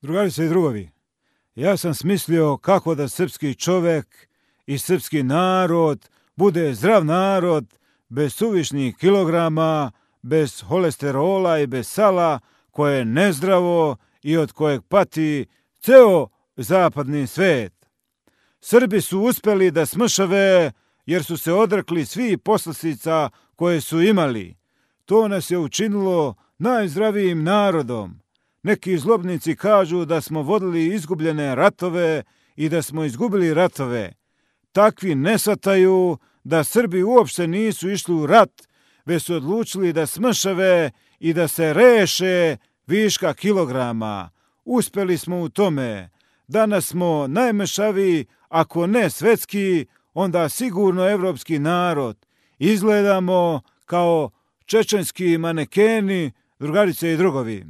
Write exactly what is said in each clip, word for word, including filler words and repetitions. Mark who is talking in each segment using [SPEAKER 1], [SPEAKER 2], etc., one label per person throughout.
[SPEAKER 1] Drugarice i drugovi, ja sam smislio kako da srpski čovek i srpski narod bude zdrav narod, bez suvišnih kilograma, bez holesterola i bez sala, koje je nezdravo i od kojeg pati ceo zapadni svet. Srbi su uspeli da smršave jer su se odrekli svih poslastica koje su imali. To nas je učinilo najzdravijim narodom. Neki zlobnici kažu da smo vodili izgubljene ratove i da smo izgubili ratove. Takvi ne shvataju da Srbi uopšte nisu išli u rat, već su odlučili da smršave i da se reše viška kilograma. Uspeli smo u tome. Danas smo najmršaviji, ako ne svetski, onda sigurno evropski narod. Izgledamo kao čečenski manekeni, drugarice i drugovi.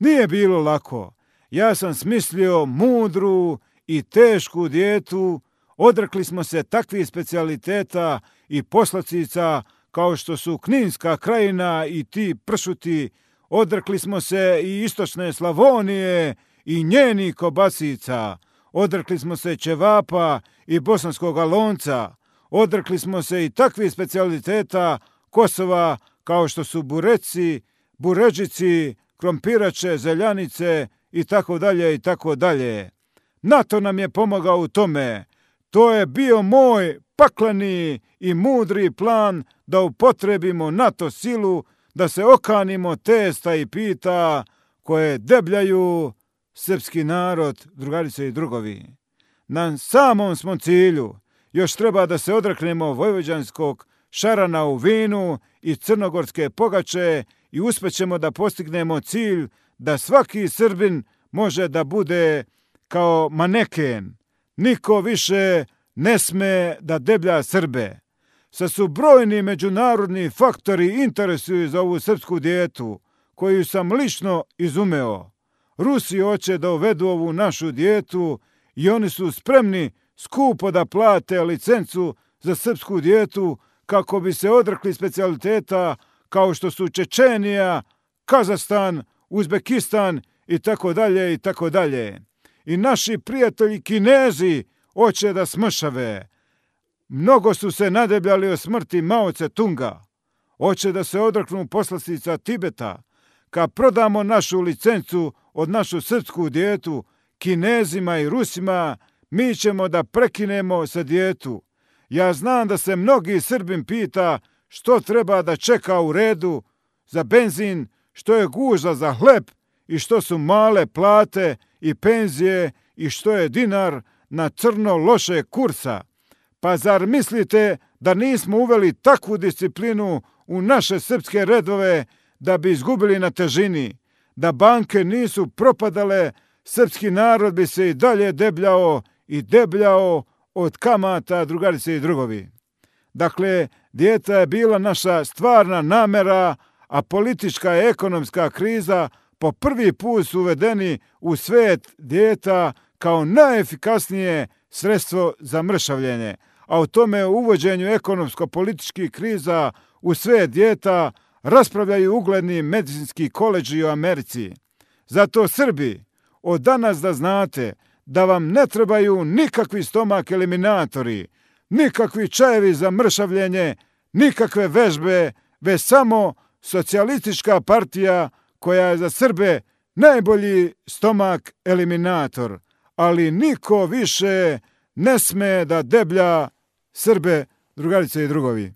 [SPEAKER 1] Nije bilo lako. Ja sam smislio mudru i tešku dijetu. Odrekli smo se takvih specijaliteta i poslastica kao što su Kninska krajina i ti pršuti. Odrekli smo se i istočne Slavonije i njenih kobasica. Odrekli smo se ćevapa i bosanskog lonca. Odrekli smo se i takvih specijaliteta Kosova kao što su bureci, buređici, krompirače, zeljanice i tako dalje i tako dalje. NATO nam je pomogao u tome. To je bio moj pakleni i mudri plan da upotrebimo NATO silu, da se okanimo testa i pita koje debljaju srpski narod, drugarice i drugovi. Na samom smo cilju. Još treba da se odreknemo vojvođanskog šarana u vinu i crnogorske pogače i uspećemo da postignemo cilj da svaki Srbin može da bude kao maneken. Niko više ne sme da deblja Srbe. Sad su brojni međunarodni faktori interesuju za ovu srpsku dijetu, koju sam lično izumeo. Rusi hoće da uvedu ovu našu dijetu i oni su spremni skupo da plate licencu za srpsku dijetu kako bi se odrekli specijaliteta kao što su Čečenija, Kazahstan, Uzbekistan i tako dalje i tako dalje. I naši prijatelji Kinezi hoće da smršave. Mnogo su se nadebljali o smrti Mao Tse-tunga. Hoće da se odreknu poslastica Tibeta. Kad prodamo našu licencu od našu srpsku dijetu Kinezima i Rusima, mi ćemo da prekinemo sa dijetu. Ja znam da se mnogi Srbin pita što treba da čeka u redu za benzin, što je gužva za hleb i što su male plate i penzije i što je dinar na crno loše kursa. Pa zar mislite da nismo uveli takvu disciplinu u naše srpske redove da bi izgubili na težini? Da banke nisu propadale, srpski narod bi se i dalje debljao i debljao od kamata, drugarice i drugovi. Dakle, dijeta je bila naša stvarna namera, a politička i ekonomska kriza po prvi put su uvedeni u svet dijeta kao najefikasnije sredstvo za mršavljenje. A o tome uvođenju ekonomsko-političkih kriza u svet dijeta raspravljaju ugledni medicinski koledži u Americi. Zato Srbi, od danas da znate da vam ne trebaju nikakvi stomak eliminatori, nikakvi čajevi za mršavljenje, nikakve vežbe, već samo socijalistička partija koja je za Srbe najbolji stomak eliminator. Ali niko više ne sme da deblja Srbe, drugarice i drugovi.